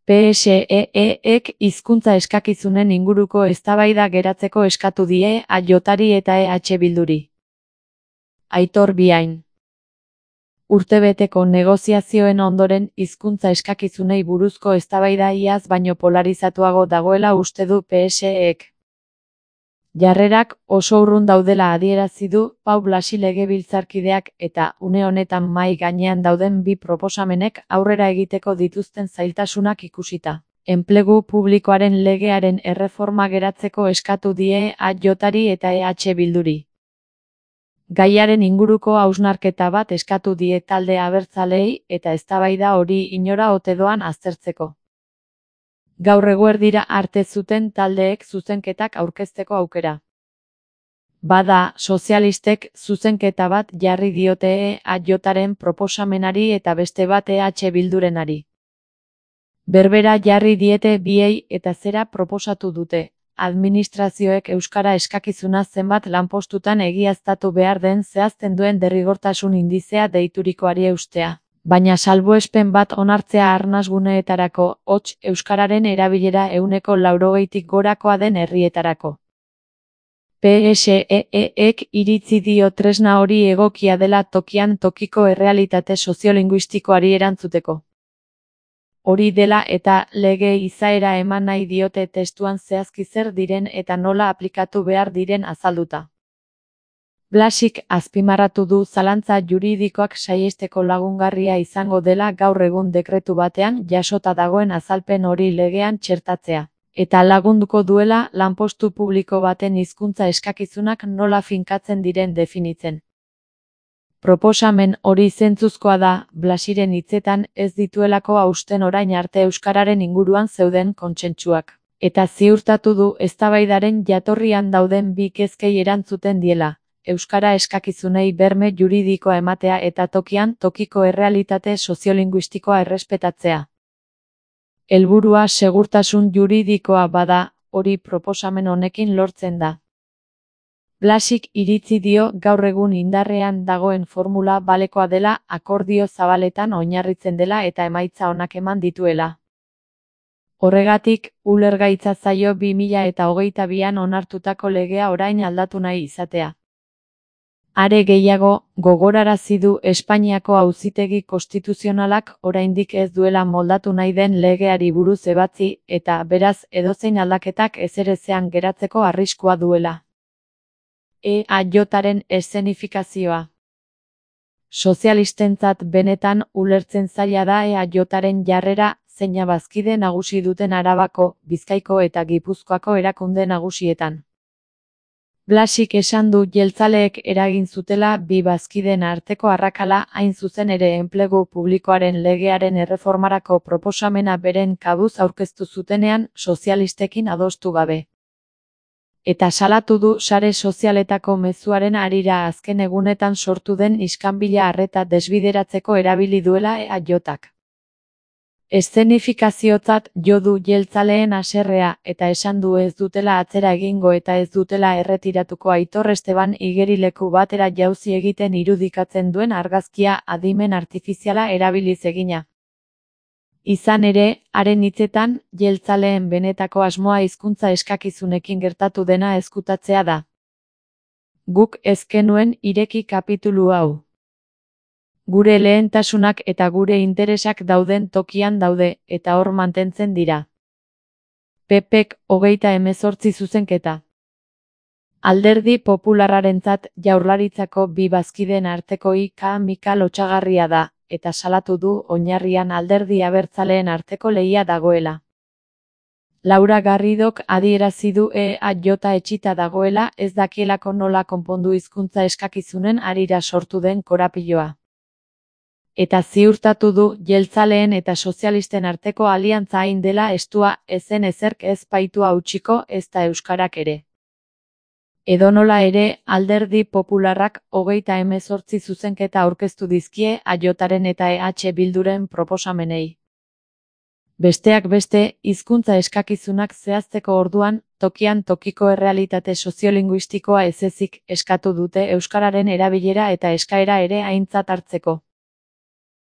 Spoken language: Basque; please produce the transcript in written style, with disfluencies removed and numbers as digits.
PSEEek hizkuntza eskakizunen inguruko eztabaida geratzeko eskatu die AJari eta EH Bilduri. Aitor Biain. Urtebeteko negoziazioen ondoren hizkuntza eskakizunei buruzko eztabaida iaz baino polarizatuago dagoela uste du PSEek. Jarrerak oso urrun daudela adierazi du Pau Blasi legebiltzarkideak eta une honetan mahai gainean dauden bi proposamenek aurrera egiteko dituzten zailtasunak ikusita. Enplegu publikoaren legearen erreforma geratzeko eskatu die AJari eta EH Bilduri. Gaiaren inguruko hausnarketa bat eskatu die talde abertzaleei eta eztabaida hori inora ote doan aztertzeko. Gaur eguerdira arte zuten taldeek zuzenketak aurkezteko aukera. Bada, sozialistek zuzenketa bat jarri diote AJaren proposamenari eta beste bat EH Bildurenari. Berbera jarri diete biei eta zera proposatu dute. Administrazioek euskara eskakizuna zenbat lanpostutan egiaztatu behar den zehazten duen derrigortasun indizea deiturikoari eustea. Baina salbuespen bat onartzea arnasguneetarako, hots euskararen erabilera 80%tik gorakoa den herrietarako. PSEEek iritzi dio tresna hori egokia dela tokian tokiko errealitate soziolinguistikoari erantzuteko. Hori dela eta lege izaera eman nahi diote testuan zehazki zer diren eta nola aplikatu behar diren azalduta. Blasik azpimarratu du zalantza juridikoak saihesteko lagungarria izango dela gaur egun dekretu batean jasota dagoen azalpen hori legean txertatzea, eta lagunduko duela lanpostu publiko baten hizkuntza eskakizunak nola finkatzen diren definitzen. Proposamen hori zentzuzkoa da, Blasiren hitzetan ez dituelako hausten orain arte euskararen inguruan zeuden kontsentsuak, eta ziurtatu du eztabaidaren jatorrian dauden bi kezkei erantzuten diela. Euskara eskakizunei berme juridikoa ematea eta tokian tokiko errealitate soziolinguistikoa errespetatzea. Helburua segurtasun juridikoa bada, hori proposamen honekin lortzen da. Blasik iritzi dio gaur egun indarrean dagoen formula balekoa dela, akordio zabaletan oinarritzen dela eta emaitza onak eman dituela. Horregatik, ulergaitza zaio 2022an onartutako legea orain aldatu nahi izatea. Are gehiago, gogorarazi du Espainiako Auzitegi Konstituzionalak oraindik ez duela moldatu nahi den legeari buruz ebatzi eta beraz edozein aldaketak ezerezean geratzeko arriskua duela. EAJaren eszenifikazioa. Sozialistentzat benetan ulertzen zaila da EAJaren jarrera, zeina bazkide nagusi duten Arabako, Bizkaiko eta Gipuzkoako erakunde nagusietan. Blasik esan du jeltzaleek eragin zutela bi bazkideen arteko arrakala hain zuzen ere enplegu publikoaren legearen erreformarako proposamena beren kabuz aurkeztu zutenean sozialistekin adostu gabe. Eta salatu du sare sozialetako mezuaren harira azken egunetan sortu den iskanbila arreta desbideratzeko erabili duela EAJak. Eszenifikaziotzat jo du jeltzaleen haserrea eta esan du ez dutela atzera egingo eta ez dutela erretiratuko Aitor Esteban igerileku batera jauzi egiten irudikatzen duen argazkia adimen artifiziala erabiliz egina. Izan ere, haren hitzetan, jeltzaleen benetako asmoa hizkuntza eskakizunekin gertatu dena ezkutatzea da. Guk ez genuen ireki kapitulu hau. Gure lehentasunak eta gure interesak dauden tokian daude, eta hor mantentzen dira. PPek 38 zuzenketa. Alderdi Popularrarentzat Jaurlaritzako bi bazkideen arteko ika-mika lotsagarria da, eta salatu du oinarrian alderdi abertzaleen arteko lehia dagoela. Laura Garridok adierazi du EAJ etxita dagoela ez dakielako nola konpondu hizkuntza eskakizunen harira sortu den korapiloa. Eta ziurtatu du jeltzaleen eta sozialisten arteko aliantza hain dela estua ezen ezerk ez baitu hautsiko ezta euskarak ere. Edonola ere, Alderdi Popularrak 38 zuzenketa aurkeztu dizkie AJaren eta EH Bilduren proposamenei. Besteak beste, hizkuntza eskakizunak zehazteko orduan, tokian tokiko errealitate soziolinguistikoa ez ezik eskatu dute euskararen erabilera eta eskaera ere aintzat hartzeko.